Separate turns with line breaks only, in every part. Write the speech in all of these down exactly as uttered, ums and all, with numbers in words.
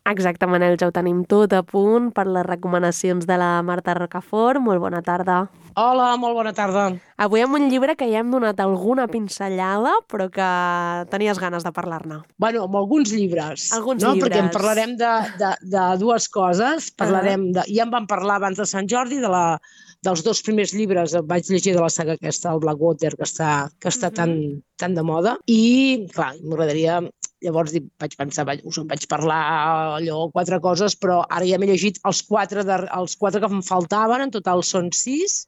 Exacte, Manel, ja ho tenim tot a punt per les recomanacions de la Marta Rocafort. Molt bona tarda.
Hola, molt bona tarda.
Avui amb un llibre que ja hem donat alguna pinzellada, però que tenies ganes de parlar-ne.
Bueno, amb alguns llibres.
Alguns
no?
llibres.
Perquè en parlarem de, de, de dues coses. Parlarem uh -huh. de, ja en vam parlar abans de Sant Jordi, de la, dels dos primers llibres. Vaig llegir de la saga aquesta, el Blackwater, que està, que està uh -huh. tan, tan de moda. I, clar, m'agradaria... Llavors vaig pensar, us en vaig parlar allò, quatre coses, però ara ja m'he llegit els quatre, de, els quatre que em faltaven, en total són sis.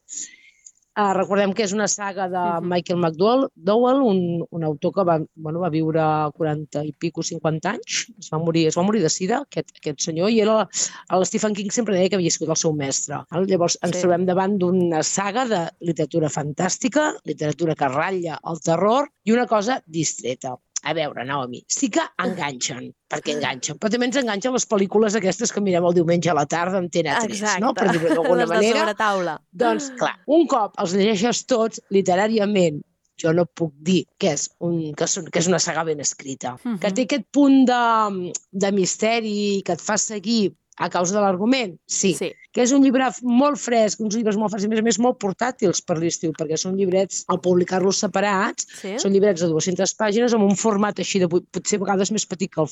Uh, recordem que és una saga de uh -huh. Michael McDowell, un, un autor que va, bueno, va viure quaranta i pico, cinquanta anys, es va morir, es va morir de sida, aquest, aquest senyor, i era, el Stephen King sempre deia que havia sigut el seu mestre. Llavors ens sí. trobem davant d'una saga de literatura fantàstica, literatura que ratlla el terror i una cosa distreta. A veure, Naomi, sí que enganxen, perquè enganxen, però també ens enganxen les pel·lícules aquestes que mirem el diumenge a la tarda amb T N tres, no? Per dir-ho d'alguna manera.
Les de sobretaula.
Doncs, clar, un cop els llegeixes tots, literàriament, jo no puc dir que és, un, que és, que és una saga ben escrita, uh -huh. que té aquest punt de, de misteri que et fa seguir a causa de l'argument, sí. sí. Que és un llibre molt fresc, uns llibres molt frescs, i a més a més molt portàtils per l'estiu, perquè són llibrets, al publicar-los separats, sí. són llibrets de dues-centes pàgines amb un format així, de, potser a vegades més petit que el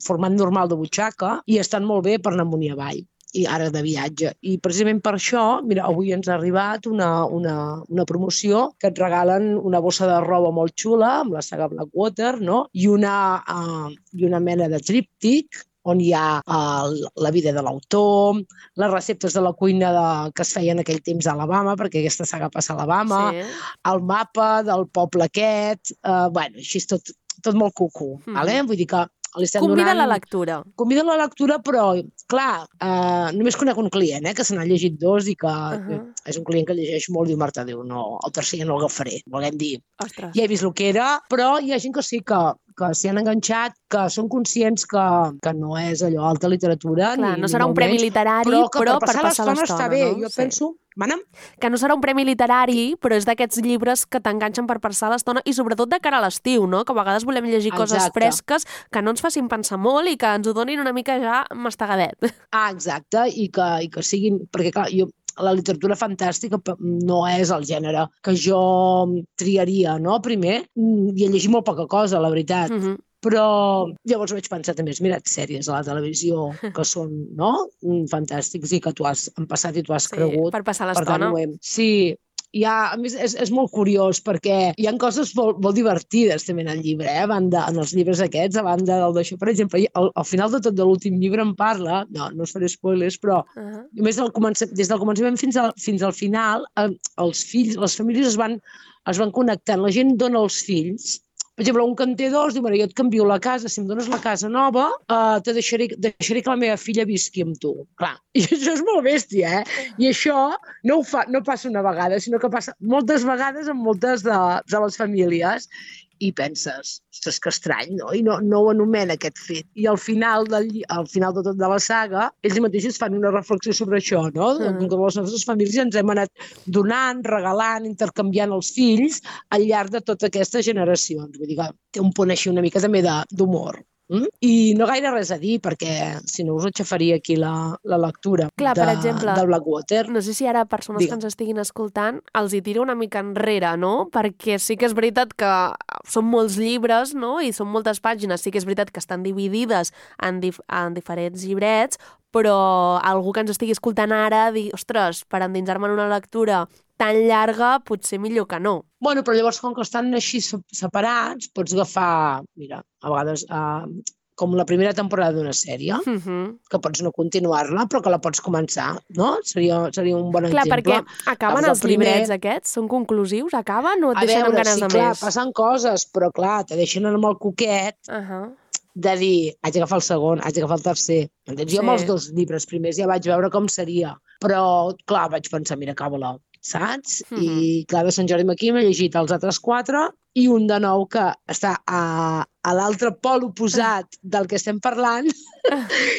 format normal de butxaca, i estan molt bé per anar amunt i avall, i ara de viatge. I precisament per això, mira, avui ens ha arribat una, una, una promoció que et regalen una bossa de roba molt xula, amb la saga Blackwater, no? I una, uh, i una mena de tríptic, on hi ha uh, la vida de l'autor, les receptes de la cuina de, que es feien en aquell temps a Alabama, perquè aquesta saga passa a Alabama, sí. el mapa del poble aquest, uh, bueno, així és tot, tot molt cucú, mm. vale? Vull dir que li estem
Convida
donant...
la lectura.
Convida la lectura, però, clar, uh, només conec un client, eh, que se n'ha llegit dos i que uh -huh. és un client que llegeix molt i diu, Marta, diu, no, el tercer ja no l'agafaré, volem dir.
Ostres.
Ja he vist el que era, però hi ha gent que sí que que s'hi han enganxat, que són conscients que, que no és allò alta literatura.
Clar,
ni,
no serà
ni
un premi
menys,
literari,
però, que
però
per passar,
passar l'estona
està bé.
No?
Jo
sí.
penso... Mana'm?
Que no serà un premi literari, però és d'aquests llibres que t'enganxen per passar l'estona i sobretot de cara a l'estiu, no? Que a vegades volem llegir
Exacte.
Coses fresques que no ens facin pensar molt i que ens ho donin una mica ja mastagadet.
Ah, exacte, i que, i que siguin... Perquè, clar, jo... la literatura fantàstica no és el gènere que jo triaria, no? Primer, i he llegit molt poca cosa, la veritat. Uh -huh. Però llavors vaig pensar, també has mirat sèries a la televisió que són, no?, fantàstics i que tu has passat i tu has
sí,
cregut.
per passar l'estona.
Per tant, sí, ha, a més, és, és molt curiós perquè hi ha coses molt, molt divertides també en el llibre, eh? A banda, en els llibres aquests, a banda del d'això. Per exemple, al, al final de tot de l'últim llibre em parla, no, no us faré spoilers, però uh -huh. només del des del començament fins al, fins al final, eh, els fills, les famílies es van, es van connectant. La gent dona els fills. Per exemple, un que en té dos diu, mira, jo et canvio la casa, si em dones la casa nova, uh, te deixaré, deixaré que la meva filla visqui amb tu. Clar, i això és molt bèstia, eh? I això no, ho fa, no passa una vegada, sinó que passa moltes vegades en moltes de, de les famílies. I penses, ostres, que estrany, no? I no, no ho anomena aquest fet. I al final, del, al final de tot de la saga, ells mateixos fan una reflexió sobre això, no? Mm. Que les nostres famílies ens hem anat donant, regalant, intercanviant els fills al llarg de totes aquestes generacions. Vull dir que té un punt així una mica també d'humor. Mm? I no gaire res a dir, perquè si no us aixafaria aquí la, la lectura
Clar,
de,
per exemple,
del Blackwater.
No sé si ara persones Digue. que ens estiguin escoltant els hi tiro una mica enrere, no? Perquè sí que és veritat que són molts llibres, no? I són moltes pàgines, sí que és veritat que estan dividides en, dif en diferents llibrets, però algú que ens estigui escoltant ara dir, ostres, per endinsar-me en una lectura tan llarga, potser millor que no.
Bueno, però llavors, com que estan així separats, pots agafar, mira, a vegades, uh, com la primera temporada d'una sèrie, uh -huh. que pots no continuar-la, però que la pots començar, no? Seria, seria un bon
clar,
exemple.
Clar, perquè acaben els primer... llibrets aquests? Són conclusius? Acaben o et
a
deixen
veure,
amb ganes
sí,
de
clar,
més?
passen coses, però clar, te deixen amb el coquet uh -huh. de dir, haig d'agafar el segon, haig d'agafar el tercer. Entens? Sí. Jo amb els dos llibres primers ja vaig veure com seria, però clar, vaig pensar, mira, acaba-la, saps? Mm -hmm. I clar, de Sant Jordi aquí m'he llegit els altres quatre i un de nou que està a, a l'altre pol oposat del que estem parlant,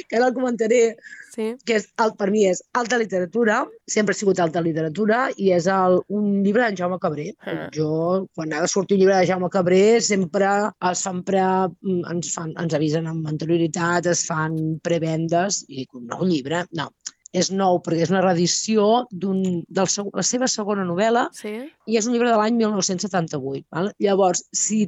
que ara el comentaré, sí. que és, el, per mi és alta literatura, sempre ha sigut alta literatura, i és el, un llibre d'en Jaume Cabré. Ah. Jo, quan ha de sortir un llibre de Jaume Cabré, sempre es fan pre, ens, fan, ens avisen amb anterioritat, es fan prevendes, i dic, un nou llibre? No. És nou, perquè és una reedició de la seva segona novel·la, sí. i és un llibre de l'any mil nou-cents setanta-vuit. Val? Llavors, si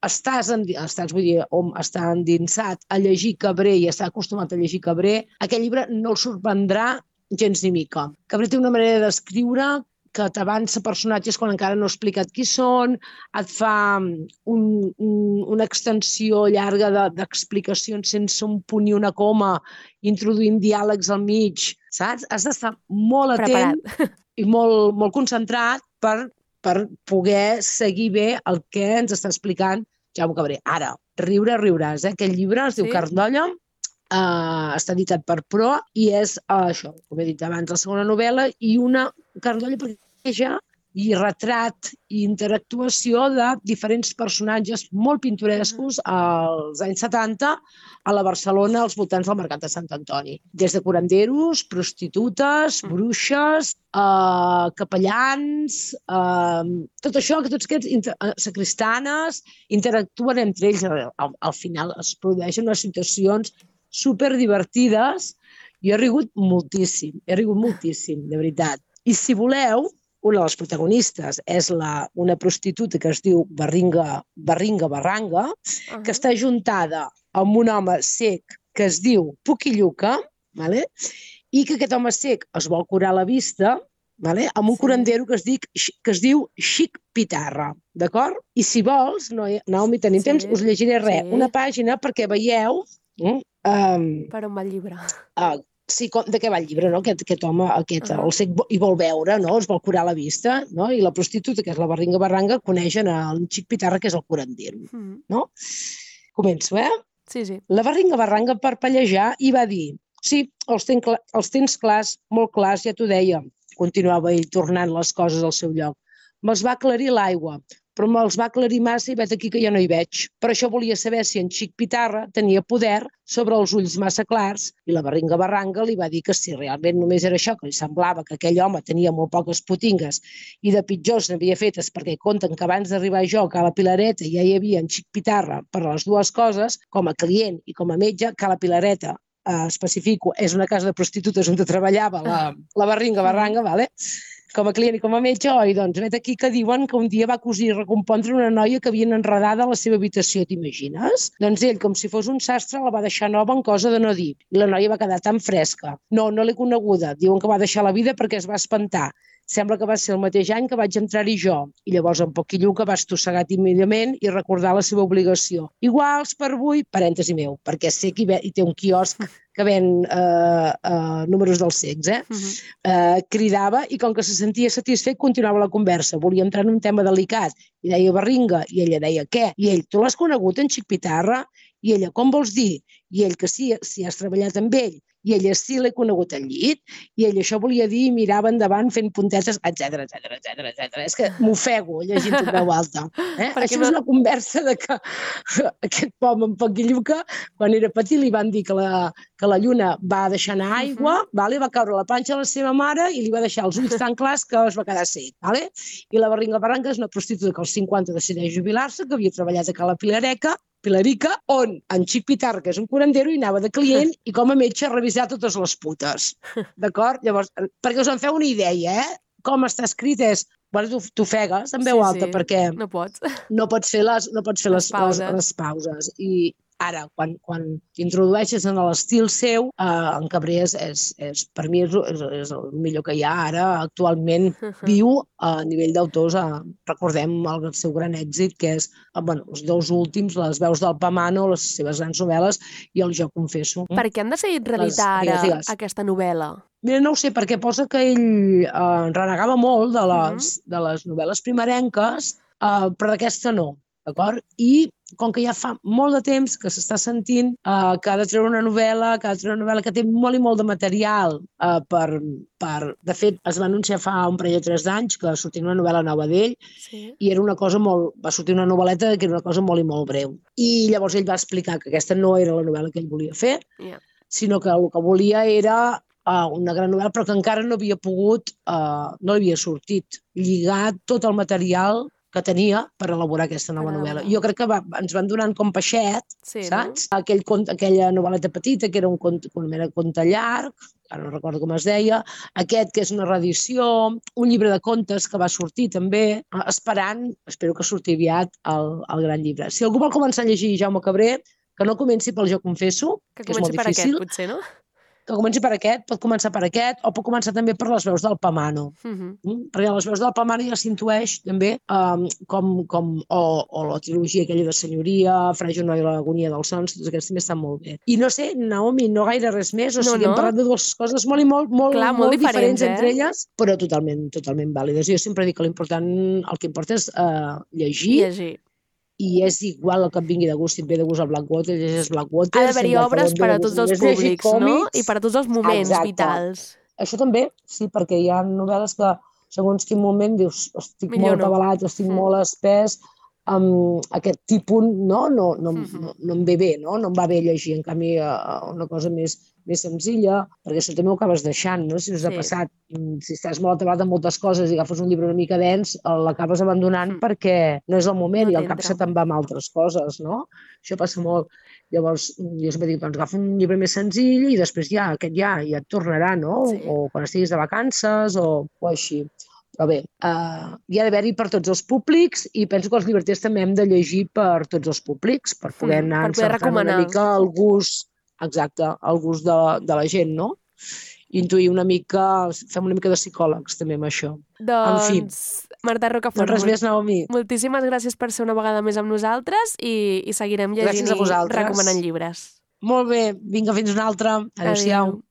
estàs, en, estàs vull dir, on està endinsat a llegir Cabré i està acostumat a llegir Cabré, aquest llibre no el sorprendrà gens ni mica. Cabré té una manera d'escriure que t'avança personatges quan encara no ha explicat qui són, et fa un, un, una extensió llarga d'explicacions de, sense un punt i una coma, introduint diàlegs al mig, saps? Has d'estar molt atent Preparat. i molt, molt concentrat per, per poder seguir bé el que ens està explicant Jaume Cabré. Ara, riure, riuràs, eh? Aquest llibre es diu sí. Carn d'olla, uh, està editat per Pro i és uh, això, com he dit abans, la segona novel·la i una Carn d'olla perquè ja i retrat i interactuació de diferents personatges molt pintorescos als anys setanta a la Barcelona als voltants del Mercat de Sant Antoni. Des de curanderos, prostitutes, bruixes, eh, capellans, eh, tot això, que tots aquests inter sacristanes interactuen entre ells. Al, al final es produeixen unes situacions superdivertides. Jo he rigut moltíssim, he rigut moltíssim, de veritat. I si voleu, una de les protagonistes és la, una prostituta que es diu Barringa, Barringa Barranga, uh-huh. que està juntada amb un home sec que es diu Puquilluca, vale? I que aquest home sec es vol curar la vista, vale? Amb un sí. curandero que es, dic, que es diu Xic Pitarra, d'acord? I si vols, no, Naomi, tenim sí. temps, us llegiré res, sí. una pàgina perquè veieu... Um,
per on va el llibre?
Uh, Sí, com, de què va el llibre, no? Aquest, aquest home, aquest, uh -huh. el sec hi vol veure, no? Es vol curar la vista, no? I la prostituta, que és la Barringa Barranga, coneixen el Xic Pitarra, que és el curandero, uh -huh. no? Començo, eh?
Sí, sí.
La Barringa Barranga, per pallejar, i va dir, sí, els, ten, els tens clars, molt clars, ja t'ho deia, continuava ell tornant les coses al seu lloc. Me'ls va aclarir l'aigua, però me'ls va aclarir massa i vet aquí que ja no hi veig. Per això volia saber si en Xic Pitarra tenia poder sobre els ulls massa clars i la Barringa Barranga li va dir que si realment només era això, que li semblava que aquell home tenia molt poques potingues i de pitjors n'havia fetes perquè conten que abans d'arribar jo a la Pilareta ja hi havia en Xic Pitarra per les dues coses, com a client i com a metge, que a la Pilareta, eh, especifico, és una casa de prostitutes on treballava la, la Barringa Barranga, vale? Com a client i com a metge, oi, doncs, vet aquí que diuen que un dia va cosir i recompondre una noia que havien enredada a la seva habitació, t'imagines? Doncs ell, com si fos un sastre, la va deixar nova en cosa de no dir. I la noia va quedar tan fresca. No, no l'he coneguda. Diuen que va deixar la vida perquè es va espantar. Sembla que va ser el mateix any que vaig entrar-hi jo. I llavors en Poquilluca va estossegar tímidament i recordar la seva obligació. Iguals per avui, parèntesi meu, perquè sé que hi té un quiosc que ven eh, eh, números dels cecs, eh? Uh-huh. eh? Cridava i com que se sentia satisfet continuava la conversa. Volia entrar en un tema delicat i deia Barringa i ella deia què? I ell, tu l'has conegut en Xic Pitarra? I ella, com vols dir? I ell que sí, si has treballat amb ell. I ella sí l'he conegut al llit, i ell això volia dir i mirava endavant fent puntetes, etcètera, etcètera, etcètera, etcètera. És que m'ofego llegint en veu alta. Eh? Això no... és una conversa de que aquest pobre en Poquilluca, quan era petit, li van dir que la, que la lluna va deixar anar aigua, uh-huh. vale? Va caure a la panxa de la seva mare i li va deixar els ulls tan clars que es va quedar sec. Vale? I la Barringa Barranca és una prostituta que als cinquanta decideix jubilar-se, que havia treballat a Cala Pilareca, Pilarica, on en Xic Pitarra, que és un curandero, hi anava de client i com a metge a revisar totes les putes. D'acord? Llavors, perquè us en feu una idea, eh? Com està escrit és... Bueno, t'ofegues en veu sí, alta sí. perquè...
No pots.
No pots fer les, no pots fer les, les, pauses. les, les pauses. I ara, quan, quan t'introdueixes en l'estil seu, eh, en Cabré és, és, és, per mi és, és, és el millor que hi ha ara, actualment viu a nivell d'autors. Eh, recordem el seu gran èxit, que és eh, bueno, els dos últims, Les veus del Pamano, les seves grans novel·les, i el Jo confesso.
Per què han decidit reeditar ara digues, aquesta novel·la?
Mira, no ho sé, perquè posa que ell eh, renegava molt de les, uh-huh. de les novel·les primerenques, eh, però d'aquesta no. d'acord? I com que ja fa molt de temps que s'està sentint eh, que ha de treure una novel·la, que ha de treure una novel·la que té molt i molt de material eh, per, per... De fet, es va anunciar fa un parell o tres d'anys que sortia una novel·la nova d'ell
Sí.
i era una cosa molt... Va sortir una novel·leta que era una cosa molt i molt breu. I llavors ell va explicar que aquesta no era la novel·la que ell volia fer,
Yeah.
sinó que el que volia era uh, una gran novel·la, però que encara no havia pogut, uh, no li havia sortit, lligar tot el material que tenia per elaborar aquesta nova
Per
novel·la.
elaborar.
Jo crec que va, ens van donant com peixet,
Sí,
saps? Aquell cont, aquella novel·leta petita, que era un conte, una mena de conte llarg, ara no recordo com es deia, aquest que és una reedició, un llibre de contes que va sortir també, eh, esperant, espero que surti aviat, el, el gran llibre. Si algú vol començar a llegir Jaume Cabré, que no comenci pel Jo confesso,
Que
que és molt
comenci per
difícil,
aquest, potser, no?
que comenci per aquest, pot començar per aquest, o pot començar també per les veus del Pamano.
Mhm.
Mm? Perquè a les veus del Pamano ja s'intueix també um, com, com o, o la trilogia aquella de Senyoria, Fra Junoi i l'agonia dels sons, tots aquests també estan molt bé. I no sé, Naomi, no gaire res més, o
No,
sigui,
no.
hem parlat de dues coses molt i molt, molt,
Clar, molt
molt diferents,
diferents, eh?
entre elles, però totalment, totalment vàlides. Jo sempre dic que l'important, el que importa és uh, llegir,
Llegir.
i és igual el que et vingui de gust, si et ve de gust el Blackwater, llegeix Blackwater.
Ha d'haver-hi obres per a tots els públics, no? I per a tots els moments
Exacte.
vitals.
Això també, sí, perquè hi ha novel·les que segons quin moment dius estic
Millor
molt
no.
atabalat, estic
Mm.
molt espès, amb aquest tipus no, no, no,
Mhm.
no, no em ve bé, no? No em va bé llegir, en canvi eh, una cosa més, més senzilla, perquè això també ho acabes deixant, no? Si us ha
Sí.
passat, mm, si estàs molt atabalat amb moltes coses i agafes un llibre una mica dens, eh, l'acabes abandonant
Mm.
perquè no és el moment
No
i el cap
t'entra.
se te'n va amb altres coses, no? Això passa molt. Llavors, jo sempre dic, doncs agafa un llibre més senzill i després ja, aquest ja, ja et tornarà, no?
Sí.
O quan estiguis de vacances o, o així. Però bé, uh, hi ha d'haver-hi per tots els públics i penso que els llibreters també hem de llegir per tots els públics, per poder
Mm,
anar
per poder
encertant una
recomanar.
mica el gust, exacte, el gust de, de la gent, no? Intuir una mica, fem una mica de psicòlegs també amb això.
Doncs, Marta Rocafort,
No res més, Naomi.
moltíssimes gràcies per ser una vegada més amb nosaltres i, i seguirem llegint
Gràcies a
i
vosaltres.
recomanant llibres.
Molt bé, vinga, fins una altra. Adéu-siau.
Adéu.